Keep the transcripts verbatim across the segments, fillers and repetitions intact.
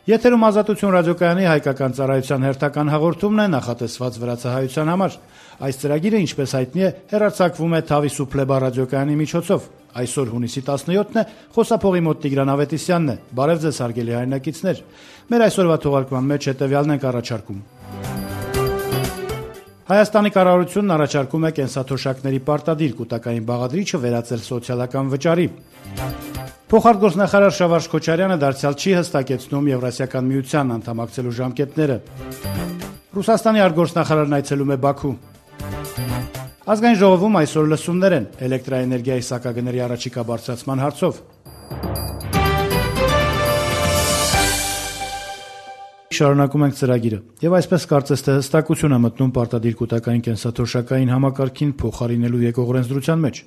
Եթերում Ազատություն ռադիոկայանի հայկական ծառայության հերթական հաղորդումն է նախատեսված վրացահայության համար։ Այս ծրագիրը, ինչպես հայտնի է, հեռարձակվում է Թավիսուփլեբա ռադիոկայանի միջոցով։ Այսօր հունիսի տասնյոթն է, խոսափողի մոտ Տիգրան Ավետիսյանն է։ Բարև ձեզ, հարգելի հայրենակիցներ։ Մեր այսօրվա թողարկման մեջ հետևյալն ենք առաջարկում։ Հայաստանի կառավարությունն առաջարկում է կենսաթոշակների պարտադիր կൂട്ടակային բաղադրիչը վերածել սոցիալական վճարի։ Փոխարտգործնախարար Շավարժ Քոչարյանը դարձյալ չի հստակեցնում Եվրասիական միության անդամակցելու ժամկետները։ Ռուսաստանի արտգործնախարարն այցելում է Բաքու։ Ազգային ժողովում այսօր լսումներ են էլեկտրաէներգիայի սակագների առաջիկա բարձրացման հարցով։ Շարունակում ենք ծրագիրը, եւ այսպես կարծես թե հստակություն է մտնում պարտադիր կൂട്ടակային կենսաթոշակային համակարգին փոխարինելու եկող օրենսդրության մեջ։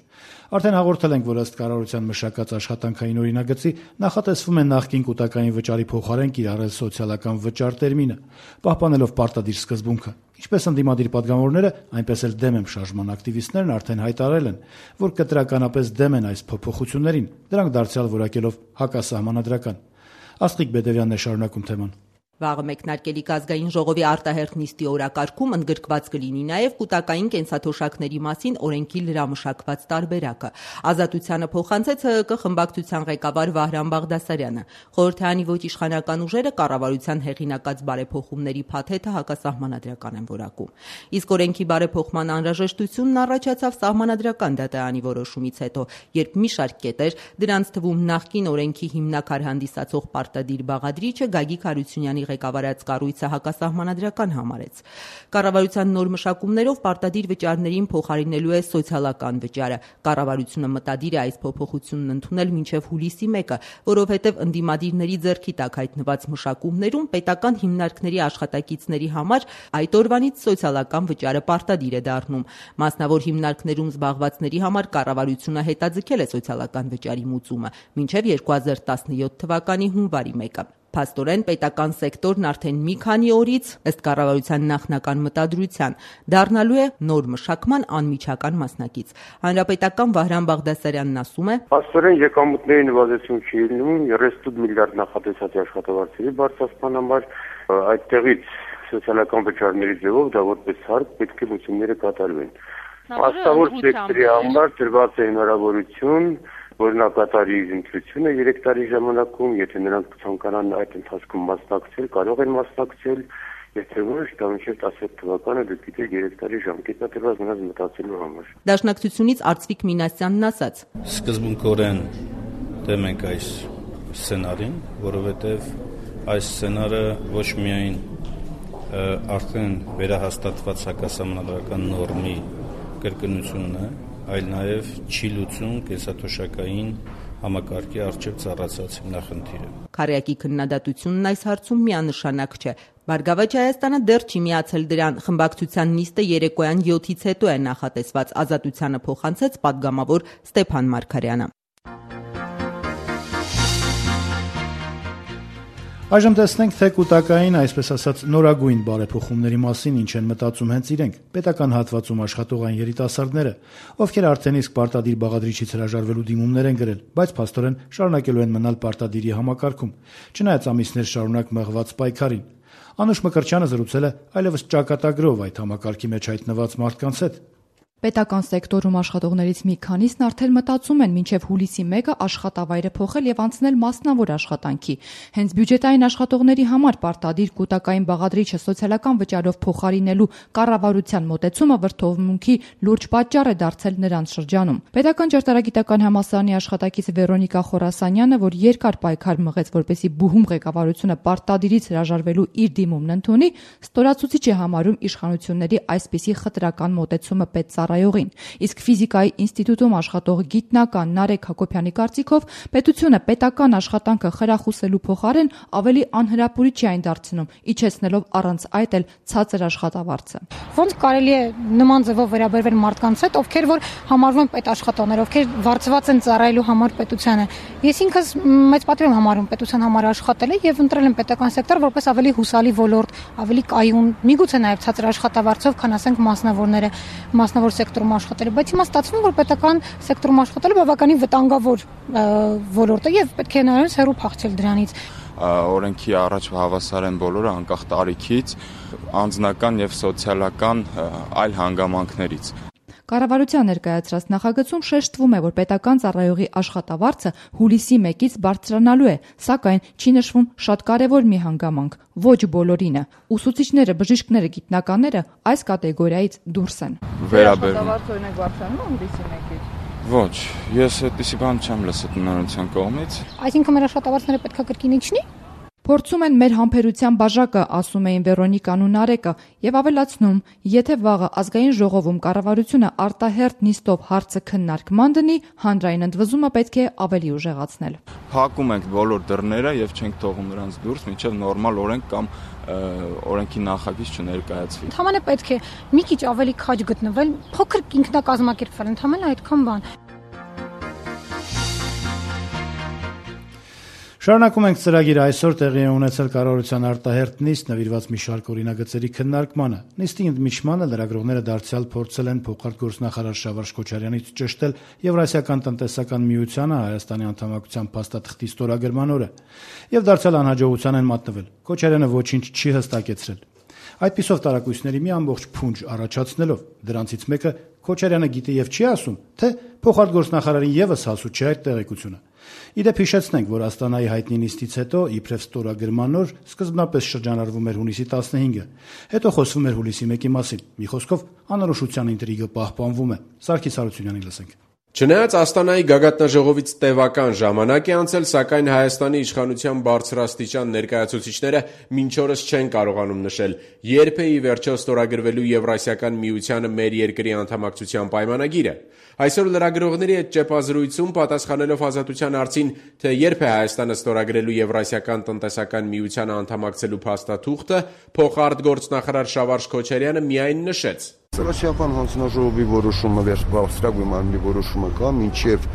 Արդեն հաղորդել ենք, որ ըստ կառավարության մշակած աշխատանքային օրինագծի նախատեսվում է նախկին կൂട്ടակային վճարի փոխարեն կիրառել սոցիալական վճար տերմինը, պահպանելով պարտադիր սկզբունքը։ Ինչպես ընդդիմադիր պատգամավորները, այնպես էլ դեմ եմ շարժման ակտիվիստներն արդեն հայտարարել են, որ կտրականապես դեմ են այս փոփոխություններին, դրանք դարձյալ որակելով հակասահմանադրական։ Աստղիկ Բեդևյանն է շարունակում թեման։ Վաղը մեկնարկելիք ազգային ժողովի արտահերթ նիստի օրակարգում ընդգրկված կլինի նաև կൂട്ടակային կենսաթոշակների մասին օրենքի լրամշակված տարբերակը։ Ազատությանը փոխանցեց ՀՀԿ խմբակցության ղեկավար Վահրամ Բաղդասարյանը։ Խորհրդարանի ոչ իշխանական ուժերը կառավարության հեղինակած բարեփոխումների փաթեթը հակասահմանադրական են որակում։ Իսկ օրենքի բարեփոխման անհրաժեշտությունն առաջացավ սահմանադրական դատարանի որոշումից հետո, երբ մի շարք կետեր, դրանց թվում նախկին օրենքի հիմնաքար հանդիսացող պարտադիր բաղադրիչը Գագիկ Հարությունյանի ղեկավարած կառույցը հակասահմանադրական համարեց։ Կառավարության նոր մշակումներով պարտադիր վճարներին փոխարինելու է սոցիալական վճարը։ Կառավարությունը մտադիր է այս փոփոխությունն ընդունել մինչև հուլիսի մեկը, որովհետև ընդդիմադիրների ձեռքի տակ հայտնված մշակումներում պետական հիմնարկների աշխատակիցների համար այդ օրվանից սոցիալական վճարը պարտադիր է դառնում։ Մասնավոր հիմնարկներում զբաղվածների համար կառավարությունը հետաձգել է սոցիալական վճարի մուծումը մինչև երկու հազար տասնյոթ թվականի հունվարի մեկը։ Փաստորեն պետական սեկտորն արդեն մի քանի օրից, ըստ կառավարության նախնական մտադրության, դառնալու է նոր մշակման անմիջական մասնակից։ Հանրապետական Վահրամ Բաղդասարյանն ասում է. Փաստորեն եկամուտների նվազեցում չի լինում, երեսուն միլիարդ նախատեսած աշխատավարձերի բարձրացման համար, այդտեղից սոցիալական վճարների ձևով դա որպես հարկ պետք է լուծումները կատարվեն։ Աստավոր սեկտորի համար տրված է հնարավորություն, որ նա կատարի իր ընտրությունը երեք տարի ժամանակում, եթե նրանք ցանկանան այդ ընթացքում մասնակցել, կարող են մասնակցել, եթե ոչ, դա մինչև տասնյոթ թվականը դուք գիտեք երեք տարի ժամկետ է տրված նրանց մտածելու համար։ Դաշնակցությունից Արծվիկ Մինասյանն ասաց. Սկզբունքորեն դեմ ենք այս սցենարին, որովհետև այս սցենարը ոչ միայն արդեն վերահաստատված հակասահմանադրական նորմի կրկնությունն է, այլ նաև չի լուծում կենսաթոշակային համակարգի առջև ծառացած հիմնախնդիրը։ Քարյակի քննադատությունն այս հարցում միանշանակ չէ։ Բարգավաճ Հայաստանը դեռ չի միացել դրան։ Խմբակցության նիստը երեկոյան յոթից հետո է նախատեսված։ Ազատությանը փոխանցեց պատգամավոր Ստեփան Մարգարյանը։ Այժմ տեսնենք, թե կൂട്ടակային, այսպես ասած, նորագույն բարեփոխումների մասին ինչ են մտածում հենց իրենք, պետական հատվածում աշխատողային երիտասարդները, ովքեր արդեն իսկ պարտադիր բաղադրիչից հրաժարվելու դիմումներ են գրել, բայց փաստորեն շարունակելու են մնալ պարտադիրի համակարգում, չնայած ամիսներ շարունակ մղված պայքարին։ Անուշ Մկրտչյանը զրուցել է այլևս ճակատագրով այդ համակարգի մեջ հայտնված մարդկանց հետ։ Պետական սեկտորում աշխատողներից մի քանիսն արդեն մտածում են մինչև հուլիսի մեկը աշխատավայրը փոխել եւ անցնել մասնավոր աշխատանքի։ Հենց բյուջետային աշխատողների համար պարտադիր կൂട്ടակային բաղադրիչը սոցիալական վճարով փոխարինելու կառավարության մոտեցումը վրդովմունքի լուրջ պատճառ է դարձել նրանց շրջանում։ Պետական ճարտարագիտական համալսարանի աշխատակից Վերոնիկա Խորասանյանը, որ երկար պայքար մղեց, որպեսզի բուհում ղեկավարությունը պարտադիրից հրաժարվելու իր դիմումն ընդունի, ստորացուցիչ է համարում իշխանությունների այսպիսի խտրական մոտեցումը պետծառայողին։ Իսկ ֆիզիկայի ինստիտուտում աշխատող գիտնական Նարեկ Հակոբյանի կարծիքով պետությունը պետական աշխատանքը խրախուսելու փոխարեն ավելի անհրապուրիչ է այն դարձնում, իջեցնելով առանց այդ էլ ցածր աշխատավարձը։ Ոնց կարելի է նման ձևով վերաբերվել մարդկանց հետ, ովքեր որ համարվում են պետաշխատողներ, ովքեր վարձված են ծառայելու համար պետությանը։ Ես ինքս մեծ պատիվ եմ համարում պետության համար աշխատել եւ ընտրել եմ պետական սեկտոր որպես ավելի հուսալի ոլորտ, ավելի կայուն, միգուցե նաեւ ցածր աշխատավարձով, քան ասենք մասնավորները, մասնավոր սեկտորում աշխատել, բայց հիմա ստացվում որ պետական սեկտորում աշխատելը բավականին վտանգավոր ոլորտ է եւ պետք է նայած հեռու փախչել դրանից։ օրենքի առաջ հավասար են բոլորը անկախ տարիքից, անձնական եւ սոցիալական այլ հանգամանքներից։ Կառավարության ներկայացրած նախագծում շեշտվում է, որ պետական ծառայողի աշխատավարձը հուլիսի մեկից բարձրանալու է, սակայն չի նշվում շատ կարևոր մի հանգամանք՝ ոչ բոլորինը։ Ուսուցիչները, բժիշկները, գիտնականները այս կատեգորիայից դուրս են։ Վերաբերվում օրինակ բարձրանում է հուլիսի մեկից։ Ոչ, ես այդպիսի բան չեմ լսել տնօրինության կողմից։ Այսինքն մեր աշխատավարձները պետք է կրկին իջնի։ Փորձում են մեր համբերության բաժակը, ասում էին Վերոնիկան ու Նարեկը, եւ ավելացնում, եթե վաղը ազգային ժողովում կառավարությունը արտահերթ նիստով հարցը քննարկման դնի, հանրային ընդվզումը պետք է ավելի ուժեղացնել։ Փակում ենք բոլոր դռները եւ չենք թողում նրանց դուրս, մինչեւ նորմալ օրենք կամ օրենքի նախագիծ չներկայացվի։ Ընդհանրապես պետք է մի քիչ ավելի քաջ գտնվել, փոքր ինքնակազմակերպվել, ընդհանրապես այդքան բան։ Շարունակում ենք ծրագիրը այսօր տեղի է ունեցել կառավարության արտահերթ նիստ նվիրված մի շարք օրինագծերի քննարկմանը։ Նիստի ընդմիջմանը լրագրողները դարձյալ փորձել են փոխարտգործնախարար Շավարժ Քոչարյանից ճշտել Եվրասիական տնտեսական միությանը Հայաստանի անդամակցության փաստաթղթի ստորագրման օրը եւ դարձյալ անհաջողության են մատնվել։ Քոչարյանը ոչինչ չի հստակեցրել։ Այդպիսով տարակույսների մի ամբողջ փունջ առաջացնելով, դրանցից մեկը Քոչարյանը գիտի եւ չի ասում, թե փոխարտգործնախարարին եւս հասու չէ այդ տեղեկությունը։ Իդեպ հիշեցնենք, որ Աստանայի հայտնի նիստից հետո իբրև ստորագրման օր սկզբնապես շրջանառվում էր հունիսի տասնհինգը, հետո խոսվում էր հուլիսի մեկի մասին։ Մի խոսքով անորոշության ինտրիգը պահպանվում է։ Սարգիս Հարությունյանին լսենք։ Չնայած Աստանայի գագաթնաժողովից տևական ժամանակ է անցել, սակայն Հայաստանի իշխանության բարձրաստիճան ներկայացուցիչները մինչ օրս չեն կարողանում նշել, երբ է ի վերջո ստորագրվելու Եվրասիական միությանը մեր երկրի անդամակցության պայմանագիրը։ Այսօր լրագրողների հետ ճեպազրույցում պատասխանելով Ազատության հարցին, թե երբ է Հայաստանը ստորագրելու Եվրասիական տնտեսական միությանը անդամակցելու փաստաթուղթը, փոխարտգործնախարար Շավարժ Քոչարյանը միայն նշեց. Եվրասիական հանձնաժողովի որոշումը վերջնական մարմնի որոշումը կա, մինչև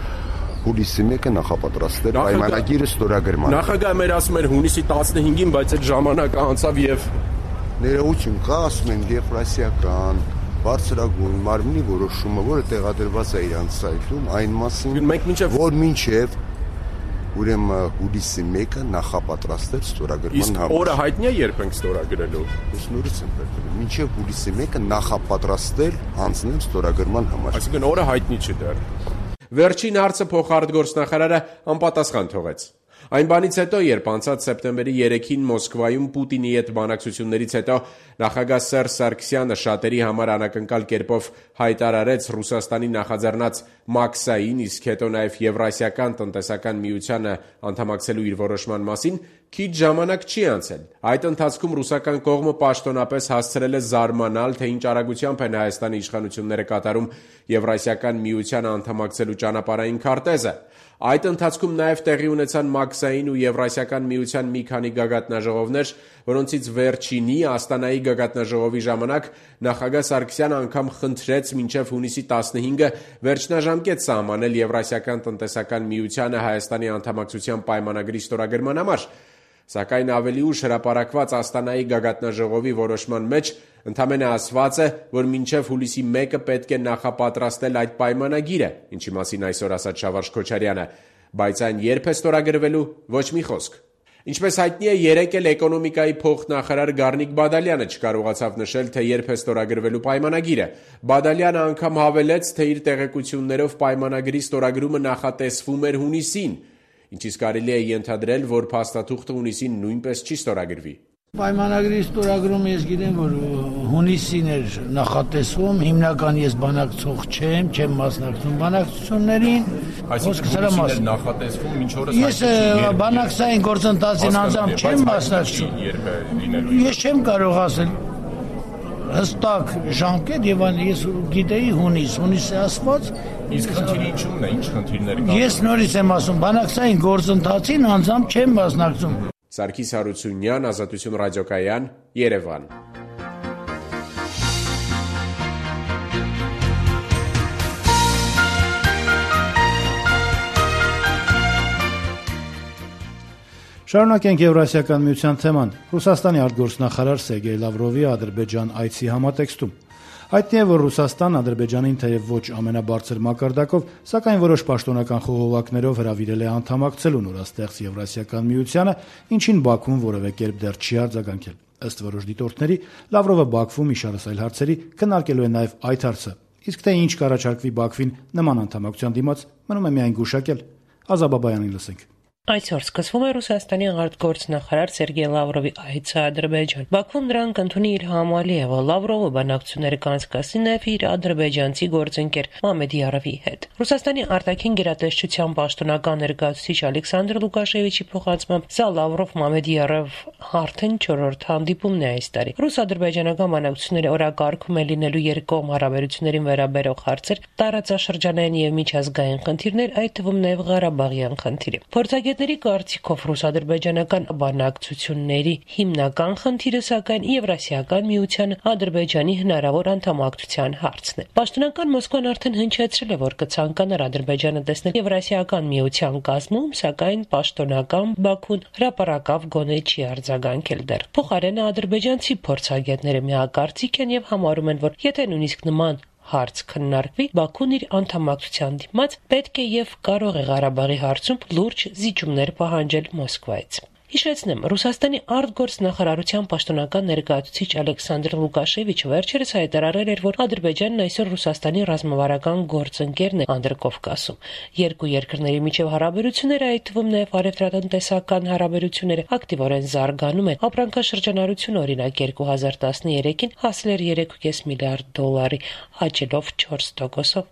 հուլիսի մեկը նախապատրաստել պայմանագիրը ստորագրման։ Նախագահը մեր ասում էր հունիսի տասնհինգին, բայց այդ ժամանակը անցավ եւ ներողություն կա, ասում են Եվրասիական բարձրագույն մարմնի որոշումը, որը տեղադրված է իրանց սայթում, այն մասին, որ մինչև ուրեմն հուլիսի մեկը նախապատրաստել ստորագրման համար։ Օրը հայտնի է երբ ենք ստորագրելու։ Ես նորից եմ պատմում, մինչև հուլիսի մեկը նախապատրաստել հանձնել ստորագրման համար։ Այսինքն օրը հայտնի չի դեռ։ Վերջին հարցը փոխարտգործնախարարը անպատասխան թողեց։ Այն բանից հետո, երբ անցած սեպտեմբերի երեքին Մոսկվայում Պուտինի հետ բանակցություններից հետո նախագահ Սերժ Սարգսյանը շատերի համար անակնկալ կերպով հայտարարեց Ռուսաստանի նախաձեռնած Մաքսային, իսկ հետո նաև Եվրասիական տնտեսական միությանը անդամակցելու իր որոշման մասին, քիչ ժամանակ չի անցել։ Այդ ընթացքում ռուսական կողմը պաշտոնապես հասցրել է զարմանալ, թե ինչ արագությամբ են Հայաստանի իշխանությունները կատարում Եվրասիական միությանը անդամակցելու ճանապարհային քարտեզը։ Այդ ընթացքում նաև տեղի ունեցան Մաքսային ու Եվրասիական միության մի քանի գագաթնաժողովներ, որոնցից վերջինի Աստանայի գագաթնաժողովի ժամանակ նախագահ Սարգսյանը անգամ խնդրեց մինչև հունիսի տասնհինգը վերջնաժամկետ սահմանել Եվրասիական տնտեսական միությանը Հայաստանի անդամակցության պայմանագրի ստորագրման համար, սակայն ավելի ուշ հրապարակված Աստանայի գագաթնաժողովի որոշման մեջ ընդամենը ասված է, որ մինչև հուլիսի մեկը պետք է նախապատրաստել այդ պայմանագիրը, ինչի մասին այսօր ասաց Շավարժ Քոչարյանը, բայց այն երբ է ստորագրվելու, ոչ մի խոսք։ Ինչպես հայտնի է, երեկ էլ էկոնոմիկայի փոխնախարար Գառնիկ Բադալյանը չկարողացավ նշել, թե երբ է ստորագրվելու պայմանագիրը։ Բադալյանը անգամ հավելեց, թե իր տեղեկություններով պայմանագրի ստորագրումը նախատեսվում էր հունիսին, ինչից կարելի է ենթադրել, որ փաստաթուղթը հունիսին նույնպես չի ստորագրվի։ Պայմանագրի ստորագրումը ես գիտեմ, որ հունիսին էր նախատեսվում, հիմնական ես բանակցող չեմ, չեմ մասնակցում բանակցություններին։ Այսինքն հունիսին էր նախատեսվում, ինչ օրս ես բանակցային գործընթացին անձամբ չեմ մասնակցում։ Ես չեմ կարող ասել հստակ ժամկետ եւ այն ես գիտեի հունիս, հունիսը ասված։ Իսկ խնդիրը ինչու՞մն է, ինչ խնդիրներ կան։ Ես նորից եմ ասում, բանակցային գործընթացին անձամբ չեմ մասնակցում։ Սարգիս Հարությունյան, Ազատություն ռադիոկայան, Երևան։ Շարունակենք Եվրասիական միության թեման։ Ռուսաստանի արտգործնախարար Սերգեյ Լավրովի Ադրբեջան այցի համատեքստում։ Հայտնի է, որ Ռուսաստանն Ադրբեջանին թեև ոչ ամենաբարձր մակարդակով, սակայն որոշ պաշտոնական խողովակներով հրավիրել է անդամակցելու նորաստեղծ Եվրասիական միությանը, ինչին Բաքուն որևէ կերպ դեռ չի արձագանքել։ Ըստ որոշ դիտորդների, Լավրովը Բաքվում իշարս այլ հարցերի քննարկելու է նաև այդ հարցը։ Իսկ թե ինչ կառաջարկվի Բաքվին նման անդամակցության դիմաց, մնում է միայն գուշակել։ Ազաբաբայանին լսենք։ Այսօր սկսվում է Ռուսաստանի արտգործնախարար Սերգեյ Լավրովի այցը Ադրբեջան։ Բաքվում դրան կընդունի իր համալիևը Լավրովը բանակցություններ կանցկացնի նաև իր ադրբեջանցի գործընկեր Մամեդիարովի հետ։ Ռուսաստանի արտաքին գերատեսչության պաշտոնական ներկայացուցիչ Ալեքսանդր Լուկաշևիչի փոխանցմամբ սա Լավրով-Մամեդիարով արդեն չորրորդ հանդիպումն է այս տարի։ Ռուս-ադրբեջանական բանակցությունների օրակարգում է լինելու երկկողմ հարաբերություններին վերաբերող հարցեր, տարածաշրջանային եւ միջազգային խնդիրներ, այդ թվում նաև Ղարաբաղյան խնդիրը։ Փորձագետների կարծիքով ռուս-ադրբեջանական բանակցությունների հիմնական խնդիրը սակայն Եվրասիական միության Ադրբեջանի հնարավոր անդամակցության հարցն է։ Պաշտոնական Մոսկվան արդեն հնչեցրել է, որ կցանկանար Ադրբեջանը տեսնել Եվրասիական միության կազմում, սակայն պաշտոնական Բաքուն հրապարակավ գոնե չի արձագանքել դեռ։ Փոխարենը ադրբեջանցի փորձագետները միակարծիք են եւ համարում են, որ եթե նույնիսկ նման հարց քննարկվի, Բաքուն իր անդամակցության դիմաց պետք է եւ կարող է Ղարաբաղի հարցում լուրջ զիջումներ պահանջել Մոսկվայից։ Հիշեցնեմ, Ռուսաստանի արտգործնախարարության պաշտոնական ներկայացուցիչ Ալեքսանդր Լուկաշևիչը վերջերս հայտարարել էր, որ Ադրբեջանն այսօր Ռուսաստանի ռազմավարական գործընկերն է Անդրկովկասում։ Երկու երկրների միջև հարաբերությունները, այդ թվում նաև առևտրատնտեսական հարաբերությունները, ակտիվորեն զարգանում են։ Ապրանքաշրջանառությունը, օրինակ, երկու հազար տասներեքին հասել էր երեք կես միլիարդ դոլարի, աճելով չորս տոկոսով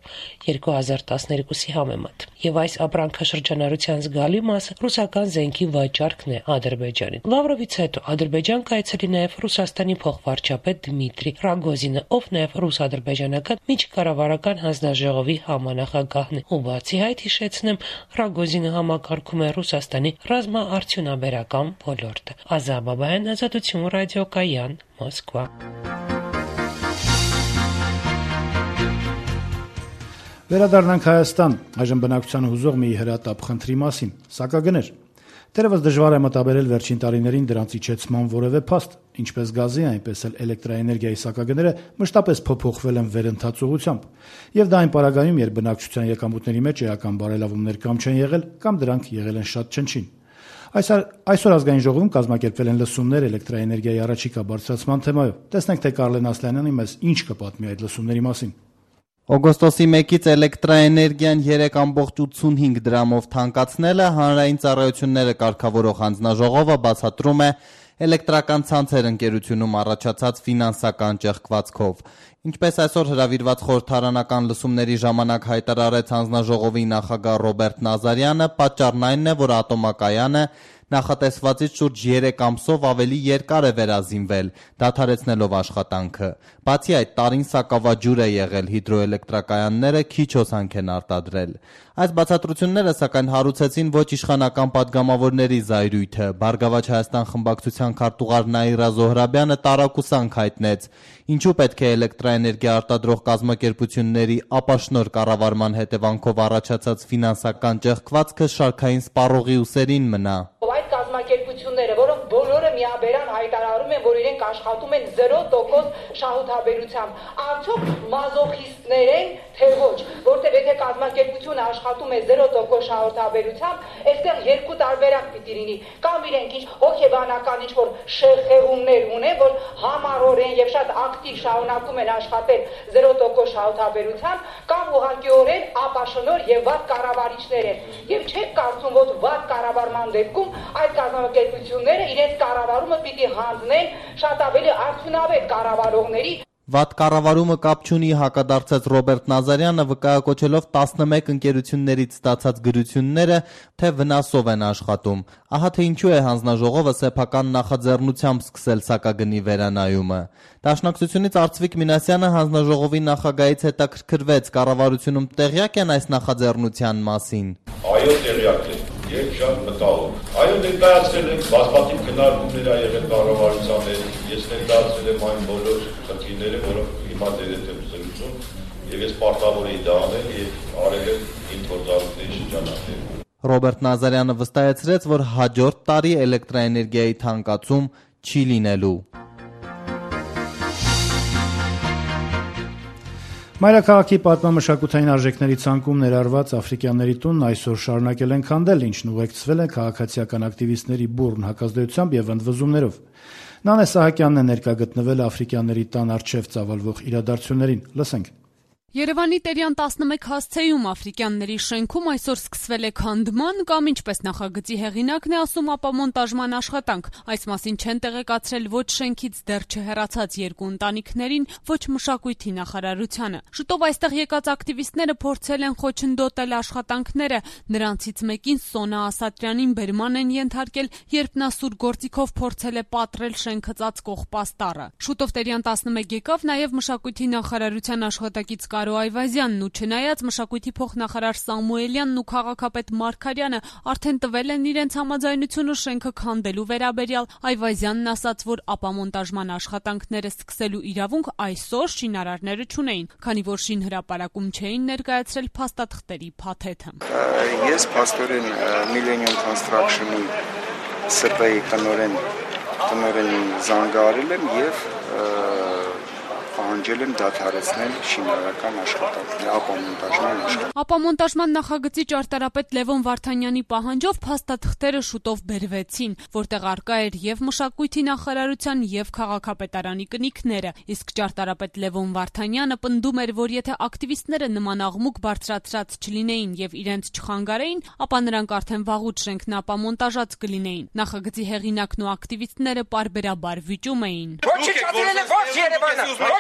երկու հազար տասներեքի համեմատ։ Եվ այս ապրանքաշրջանառության զգալի մասը ռուսական զենքի վաճառքն է Ադրբեջանին։ Լավրովից հետո Ադրբեջան կայցելի նաև Ռուսաստանի փոխվարչապետ Դմիտրի Ռագոզինը, ով նաև ռուս-ադրբեջանական միջկառավարական հանձնաժողովի համանախագահն է։ Ու բացի այդ, հիշեցնեմ, Ռագոզինը համակարգում է Ռուսաստանի ռազմաարդյունաբերական ոլորտը։ Ազաբաբայան, Ազատություն ռադիոկայան, Մոսկվա։ Վերադառնանք Հայաստան, այժմ բնակչության հուզող մի հրատապ խնդրի մասին՝ սակագներ։ Դեռևս դժվար է մտաբերել վերջին տարիներին դրանց իջեցման որևէ փաստ, ինչպես գազի, այնպես էլ էլեկտրաէներգիայի սակագները մշտապես փոփոխվել են վերընթաց ուղղությամբ։ Եվ դա այն պարագայում, երբ բնակչության եկամուտների մեջ էական բարելավումներ կամ չեն եղել, կամ դրանք եղել են շատ չնչին։ Այսօր ազգային ժողովում կազմակերպվել են լսումներ էլեկտրաէներգիայի առաջիկա բարձրացման թեմայով։ Տեսնենք, թե Կարլեն Ասլանյանը մեզ ինչ կպատմի այդ լսումների մասին։ Օգոստոսի մեկից էլեկտրաէներգիան երեք կόμma ութսունհինգ դրամով թանկացնելը հանրային ծառայությունները կարգավորող հանձնաժողովը բացատրում է էլեկտրական ցանցեր ընկերությունում առաջացած ֆինանսական ճեղքվածքով։ Ինչպես այսօր հրավիրված խորհրդարանական լսումների ժամանակ հայտարարեց հանձնաժողովի նախագահ Ռոբերտ Նազարյանը, պատճառն այն է, որ ատոմակայանը նախատեսվածից շուրջ երեք ամսով ավելի երկար է վերազինվել, դադարեցնելով աշխատանքը։ Բացի այդ, տարին սակավաջուր է եղել, հիդրոէլեկտրակայանները քիչ հոսանք են արտադրել։ Այս բացատրությունները սակայն հարուցեցին ոչ իշխանական պատգամավորների զայրույթը։ Բարգավաճ Հայաստան խմբակցության քարտուղար Նաիրա Զոհրաբյանը տարակուսանք հայտնեց, ինչու պետք է էլեկտրաէներգիա արտադրող կազմակերպությունների ապաշնոր կառավարման հետևանքով առաջացած ֆինանսական ճեղքվածքը շարքային սպառողի ուսերին մնա։ Այդ կազմակերպությունները, որոնք բոլորը միաբերան հայտարարում են, որ իրենք աշխատում են զերո տոկոս շահութաբերությամբ, արդյոք մազոխիստներ են, թե ոչ, որտեղ եթե կազմակերպությունը աշխատում է զերո տոկոս շահութաբերությամբ, այստեղ երկու տարբերակ պիտի լինի, կամ իրենք ինչ հոգեբանական ինչ որ շեղեղումներ ունեն, որ համառորեն եւ շատ ակտիվ շարունակում են աշխատել զերո տոկոս շահութաբերությամբ, կամ ուղղակիորեն ապաշնոր եւ վատ կառավարիչներ են։ Եվ չեք կարծում, որ վատ կառավարման դեպքում այդ կազմակերպությունները իրենց կառավարումը պիտի հանձնեն շատ ավելի արդյունավետ կառավարողների։ Վատ կառավարումը կապ չունի, հակադարձեց Ռոբերտ Նազարյանը, վկայակոչելով տասնմեկ ընկերություններից ստացած գրությունները, թե վնասով են աշխատում։ Ահա թե ինչու է հանձնաժողովը սեփական նախաձեռնությամբ սկսել սակագնի վերանայումը։ Դաշնակցությունից Արծվիկ Մինասյանը հանձնաժողովի նախագահից հետաքրքրվեց, կառավարությունում տեղյակ են այս նախաձեռնության մասին։ Այո, տեղյակ են։ Եվ շատ մտահոգ։ Այո, ներկայացրել ենք բազմաթիվ քննարկումներ ա եղել կառավարության հետ։ Ես ներկայացրել եմ այն բոլոր խնդիրները, որոնք հիմա դերետ եմ զրուցում, եւ ես պարտավոր եի դա անել եւ արել եմ իմ գործառույթների շրջանակներում։ Ռոբերտ Նազարյանը վստահեցրեց, որ հաջորդ տարի էլեկտրաէներգիայի թանկացում չի լինելու։ Մայրաքաղաքի պատմամշակութային արժեքների ցանկում ներառված Աֆրիկյանների տունն այսօր շարունակել են քանդել, ինչն ուղեկցվել է քաղաքացիական ակտիվիստների բուռն հակազդեցությամբ եւ ընդվզումներով։ Նանե Սահակյանն է ներկա գտնվել Աֆրիկյանների տան առջև ծավալվող իրադարձություններին։ Լսենք։ Երևանի Տերյան տասնմեկ հասցեում Աֆրիկյանների շենքում այսօր սկսվել է քանդման կամ ինչպես նախագծի հեղինակն է ասում ապամոնտաժման աշխատանք։ Այս մասին չեն տեղեկացրել ոչ շենքից դեռ չհեռացած երկու ընտանիքներին, ոչ մշակույթի նախարարությանը։ Շուտով այստեղ եկած ակտիվիստները փորձել են խոչընդոտել աշխատանքները, նրանցից մեկին Սոնա Ասատրյանին բերման են ենթարկել, երբ նա սուր գործիքով փորձել է պատռել շենքը ծածկող պաստառը։ Շուտով Տերյան տասնմեկ եկավ նաև մշակույթի նախարարության աշխատակից Կարո Այվազյանն ու չնայած մշակույթի փոխնախարար Սամուելյանն ու քաղաքապետ Մարգարյանը արդեն տվել են իրենց համաձայնությունը շենքը քանդելու վերաբերյալ, Այվազյանն ասաց, որ ապամոնտաժման աշխատանքները սկսելու իրավունք այսօր շինարարները չունեին, քանի որ շինհրապարակում չէին ներկայացրել փաստաթղթերի փաթեթը։ Ես փաստորեն Millennium Construction-ի սրտայի տնօրեն տնօրենին զանգահարել եմ եւ պահանջել եմ դադարեցնել շինարարական աշխատանքները, ապամոնտաժման աշխատանքները։ Ապամոնտաժման նախագծի ճարտարապետ Լևոն Վարդանյանի պահանջով փաստաթղթերը շուտով բերվեցին, որտեղ առկա էր եւ մշակույթի նախարարության եւ քաղաքապետարանի կնիքները, իսկ ճարտարապետ Լևոն Վարդանյանը պնդում էր, որ եթե ակտիվիստները նման աղմուկ բարձրացրած չլինեին եւ իրենց չխանգարեին, ապա նրանք արդեն վաղուց շենքն ապամոնտաժած կլինեին։ Նախագծի հեղինակն ու ակտիվիստները պարբերաբար վիճում էին։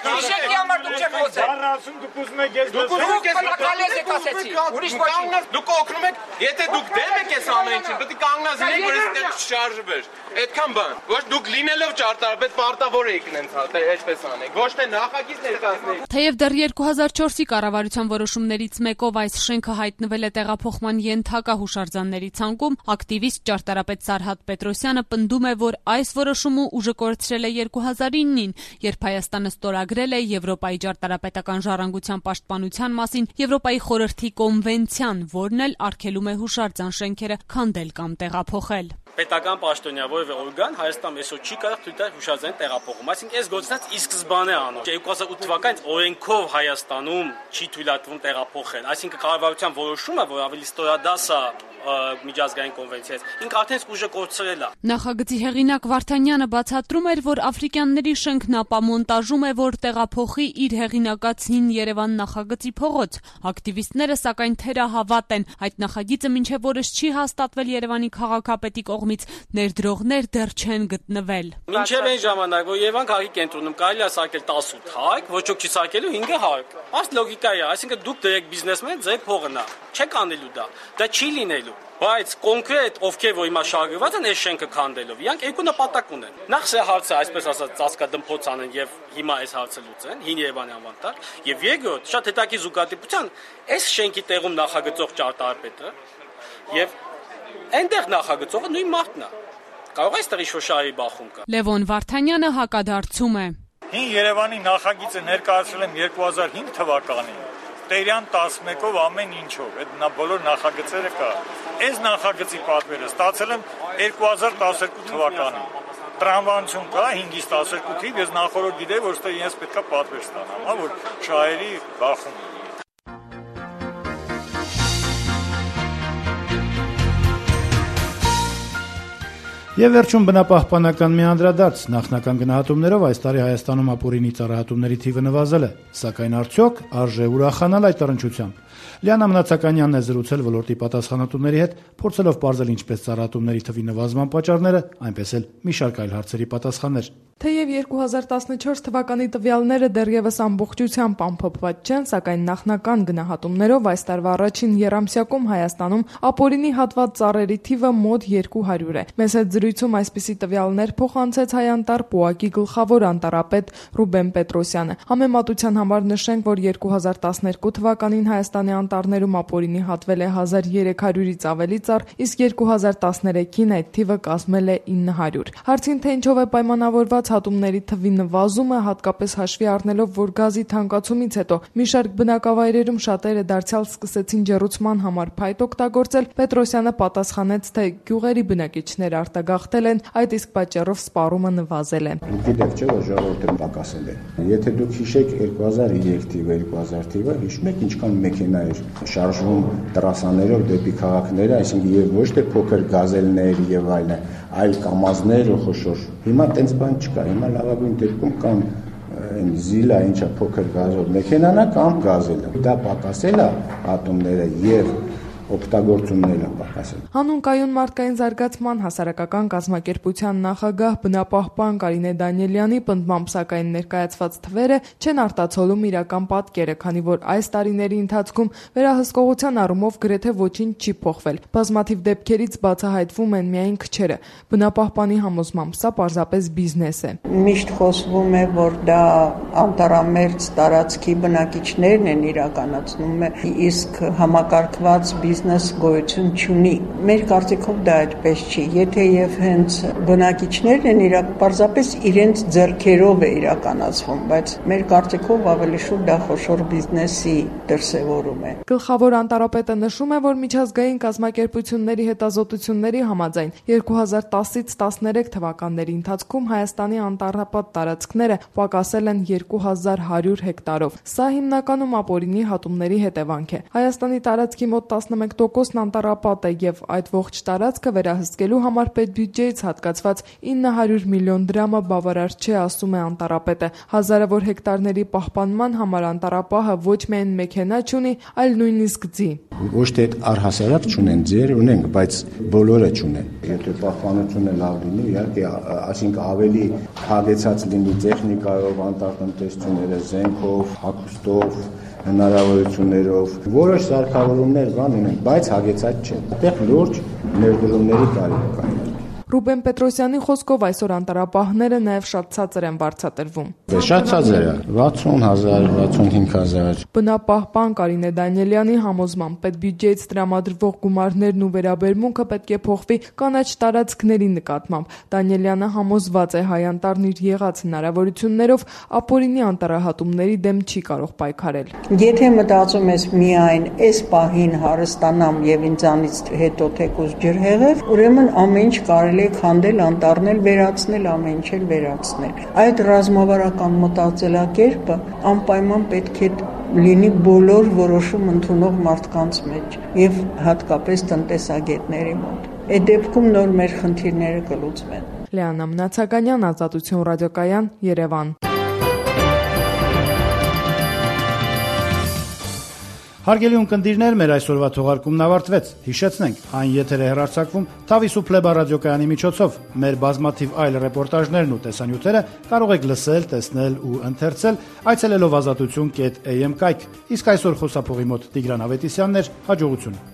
Իշեք համար դուք չեք խոսել։ Առանցում դուք ուզում եք ես դուք ուզում եք կալես եք ասեցի։ Ուրիշ ոչինչ։ Դուք օգնում եք, եթե դուք դեմ եք այս ամեն ինչին, պետք է կանգնած լինեք, որ այստեղ չշարժվեր։ Այդքան բան։ Ոչ դուք լինելով ճարտարապետ պարտավոր եք նենց այդպես անեք։ Ոչ թե նախագիծ ներկայացնեք։ Թեև դեռ երկու հազար չորսի կառավարության որոշումներից մեկով այս շենքը հայտնվել է տեղափոխման ենթակա հուշարձանների ցանկում, ակտիվիստ ճարտարապետ Սարհատ Պետրոսյանը պնդում է, որ այս որոշումը ուժը կորցրել է երկու հազար իննին, երբ Հայաստանը ստորագրել է Եվրոպայի ճարտարապետական ժառանգության պաշտպանության մասին Եվրոպայի խորհրդի կոնվենցիան, որն էլ արգելում է հուշարձան շենքերը քանդել կամ տեղափոխել։ Պետական պաշտոնյա որևէ օրգան Հայաստանում այսօր չի կարող թույլ տալ հուշարձանի տեղափոխում, այսինքն այս գործընթացը ի սկզբանե անոր։ երկու հազար ութ թվականից օրենքով Հայաստանում չի թույլատրվում տեղափոխել, այսինքն կառավարության որոշումը, որ ավելի ստորադաս է միջազգային կոնվենցիայից, ինքը արդեն ուժը կորցրել է։ Նախագծի հեղինակ Վարդանյանը բացատրում էր, որ աֆրիկյանների շենքն ապամոնտաժում է, որ տեղափոխի իր հեղինակած հին Երևան նախագծի փողոց։ Ակտիվիստները սակայն թերահավատ են, այդ նախագիծը մինչև օրս չի հաստատվել Երևանի քաղաքապետի կողմից, ներդրողներ դեռ չեն գտնվել։ Մինչև այն ժամանակ, որ Երևան քաղաքի կենտրոնում կարելի է սարքել տասութ հարկ, ոչ ոք չի սարքելու հինգ հարկ։ Այս լոգիկա է, այսինքն դուք դրեք բիզնեսմեն, ձեր փողը նա։ Չեք անելու դա։ Դա չի լինելու։ Բայց կոնկրետ ովքեր որ հիմա շահագրված են այս շենքը քանդելով, իրանք երկու նպատակ ունեն։ Նախ սա հարցը, այսպես ասած, ծածկադմփոց անեն եւ հիմա այս հարցը լուծեն, հին Երևանի անվան տակ, եւ երկրորդ, շատ հետաքրքիր զուգադիպության, այս շենքի տեղում նախագծող ճարտարապետը եւ այնտեղ նախագծողը նույն մարդն է։ Կարող է այստեղ ինչ-որ շահի բախում կա։ Լևոն Վարդանյանը հակադարձում է։ Հին Երևանի նախագիծը ներկայացրել եմ երկու հազար հինգ թվականին։ Տերյան տասնմեկով ամեն ինչով, այդ նա բոլոր նախագծերը կա։ Այս նախագծի պատվերը ստացել եմ երկու հազար տասներկու թվականին։ Տրամաբանություն կա հինգից տասներկու-ից, ես նախորդ գիտեի, որ ստե ես պետքա պատվեր ստանամ, հա, որ շահերի բախում։ Եվ վերջում բնապահպանական մի անդրադարձ նախնական գնահատումներով այս տարի Հայաստանում ապօրինի ծառայատումների թիվը նվազել է, սակայն արդյոք արժե ուրախանալ այդ առնչությամբ։ Լիանա Մնացականյանն է զրուցել ոլորտի պատասխանատուների հետ, փորձելով պարզել ինչպես ծառայատումների թվի նվազման պատճառները, այնպես էլ մի շարք այլ հարցերի պատասխաններ։ Թեև երկու հազար տասնչորս թվականի տվյալները դեռևս ամբողջությամբ ամփոփված չեն, սակայն նախնական գնահատումներով այս տարվա առաջին եռամսյակում Հայաստանում ապօրինի հատված ծառերի թիվը մոտ երկու հարյուր է։ Մեզ հետ զրույցում այսպիսի տվյալներ փոխանցեց Հայանտար պուակի գլխավոր անտարապետ Ռուբեն Պետրոսյանը։ Համեմատության համար նշենք, որ երկու հազար տասներկու թվականին Հայաստանի անտառներում ապօրինի հատվել է հազար երեք հարյուրից ավելի ծառ, իսկ երկու հազար տասներեքին այդ թիվը կազմել է ինը հարյուր։ Հարցին թե ինչով է պայմանավորված հատումների թվի նվազումը, հատկապես հաշվի առնելով, որ գազի թանկացումից հետո մի շարք բնակավայրերում շատերը դարձյալ սկսեցին ջեռուցման համար փայտ օգտագործել, Պետրոսյանը պատասխանեց, թե գյուղերի բնակիչները արտագաղթ գաղթել են, այդ իսկ պատճառով սպառումը նվազել է։ Գիտեք չէ, որ ժողովուրդը պակասել է։ Եթե դուք հիշեք երկու հազար երեք թիվը, երկու հազար թիվը, հիշում եք ինչքան մեքենա էր շարժվում տրասաներով դեպի քաղաքները, այսինքն եւ ոչ թե փոքր գազելներ եւ այլն, այլ կամազներ ու խոշոր։ Հիմա տենց բան չկա, հիմա լավագույն դեպքում կամ այն զիլա ինչա փոքր գազով մեքենան է կամ գազելը։ Դա պակասել է ատոմները եւ օգտագործումները պակասել։ Հանուն կայուն մարդկային զարգացման հասարակական կազմակերպության նախագահ բնապահպան Կարինե Դանիելյանի պնդմամբ սակայն ներկայացված թվերը չեն արտացոլում իրական պատկերը, քանի որ այս տարիների ընթացքում վերահսկողության առումով գրեթե ոչինչ չի փոխվել։ Բազմաթիվ դեպքերից բացահայտվում են միայն քչերը։ Բնապահպանի համոզմամբ սա պարզապես բիզնես է։ Միշտ խոսվում է, որ դա անտարամերձ տարածքի բնակիչներն են իրականացնում, իսկ համակարգված բիզնես գոյություն չունի։ Մեր կարծիքով դա այդպես չի։ Եթե եւ հենց բնակիչներն են իրակ պարզապես իրենց ձեռքերով է իրականացվում, բայց մեր կարծիքով ավելի շուտ դա խոշոր բիզնեսի դրսևորում է։ Գլխավոր անտարապետը նշում է, որ միջազգային կազմակերպությունների հետազոտությունների համաձայն երկու հազար տասից տասներեք թվականների ընթացքում Հայաստանի անտառապատ տարածքները պակասել են երկու հազար հարյուր հեկտարով։ Սա հիմնականում ապօրինի հատումների հետևանք է։ Հայաստանի տարածքի մոտ տասնմեկ տոկոսն անտառապատ է եւ այդ ողջ տարածքը վերահսկելու համար պետբյուջեից հատկացված ինը հարյուր միլիոն դրամը բավարար չէ, ասում է անտառապետը։ Հազարավոր հեկտարների պահպանման համար անտառապահը ոչ միայն մեքենա չունի, այլ նույնիսկ ձի։ Ոչ թե առհասարակ չունեն, ձեր ունենք, բայց բոլորը չունեն։ Եթե պահպանությունը լավ լինի, իհարկե, այսինքն ավելի հագեցած լինի տեխնիկայով, անտառտնտեսությունները, զենքով, հագուստով, հնարավորություններով, որոշ սարքավորումներ կան ունեն, բայց հագեցած չէ։ Այդտեղ լուրջ ներդրումների կարիք կա։ Ռուբեն Պետրոսյանի խոսքով այսօր անտառապահները նաև շատ ցածր են վարձատրվում։ Շատ ցածր է, վաթսուն հազար, վաթսունհինգ հազար։ Բնապահպան Կարինե Դանիելյանի համոզմամբ պետբյուջեից տրամադրվող գումարներն ու վերաբերմունքը պետք է փոխվի կանաչ տարածքների նկատմամբ։ Դանիելյանը համոզված է հայ անտառն իր եղած հնարավորություններով ապօրինի անտառահատումների դեմ չի կարող պայքարել։ Եթե մտածում ես միայն այս պահին հարստանամ եւ ինձանից հետո թեկուզ ջրհեղեղ, ուրեմն ամեն ինչ կարելի քանդել, անտառնել, վերացնել, ամեն ինչ էլ վերացնել։ Այդ ռազմավարական մտածելակերպը անպայման պետք է լինի բոլոր որոշում ընդունող մարդկանց մեջ եւ հատկապես տնտեսագետների մոտ։ Այդ դեպքում նոր մեր խնդիրները կլուծվեն։ Լեանա Մնացականյան, Ազատություն ռադիոկայան, Երևան։ Հարգելի ունկնդիրներ, մեր այսօրվա թողարկումն ավարտվեց։ Հիշեցնենք, այն եթեր է հեռարձակվում Թավիս ու Փլեբա ռադիոկայանի միջոցով։ Մեր բազմաթիվ այլ ռեպորտաժներն ու տեսանյութերը կարող եք լսել, տեսնել ու ընթերցել այցելելով ազատություն կետ էյ էմ կայք։ Իսկ այսօր խոսափողի մոտ Տիգրան Ավետիսյանն էր, հաջողություն։